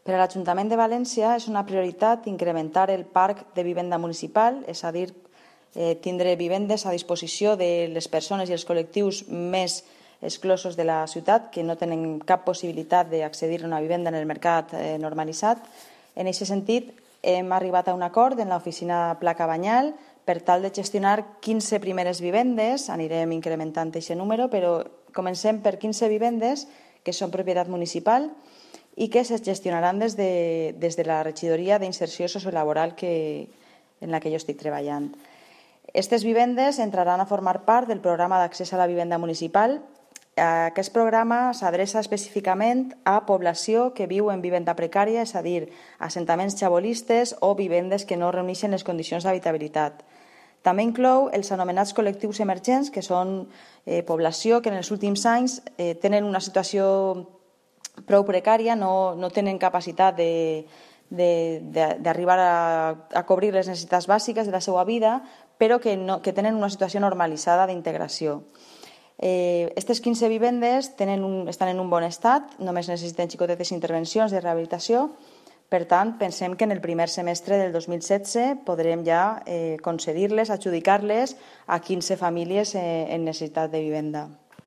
Per a l'Ajuntament de València és una prioritat incrementar el parc de vivenda municipal, és a dir, tindre vivendes a disposició de les persones i els col·lectius més exclosos de la ciutat, que no tenen cap possibilitat d'accedir a una vivenda en el mercat normalitzat. En aquest sentit, hem arribat a un acord en l'oficina Pla Cabanyal per tal de gestionar 15 primeres vivendes. Anirem incrementant aquest número, però comencem per 15 vivendes que són propietat municipal i que es gestionaran des de la regidoria d'inserció sociolaboral en la que jo estic treballant. Aquestes vivendes entraran a formar part del programa d'accés a la vivenda municipal. Aquest programa s'adreça específicament a població que viu en vivenda precària, és a dir, assentaments xabolistes o vivendes que no reuneixen les condicions d'habitabilitat. També inclou els anomenats col·lectius emergents, que són població que en els últims anys tenen una situació prou precària, no tenen capacitat d'arribar a cobrir les necessitats bàsiques de la seva vida, però que tenen una situació normalitzada d'integració. Aquestes 15 vivendes estan en un bon estat, només necessiten xicotetes intervencions de rehabilitació. Per tant, pensem que en el primer semestre del 2016 podrem ja concedir-les, adjudicar-les a 15 famílies en necessitat de vivenda.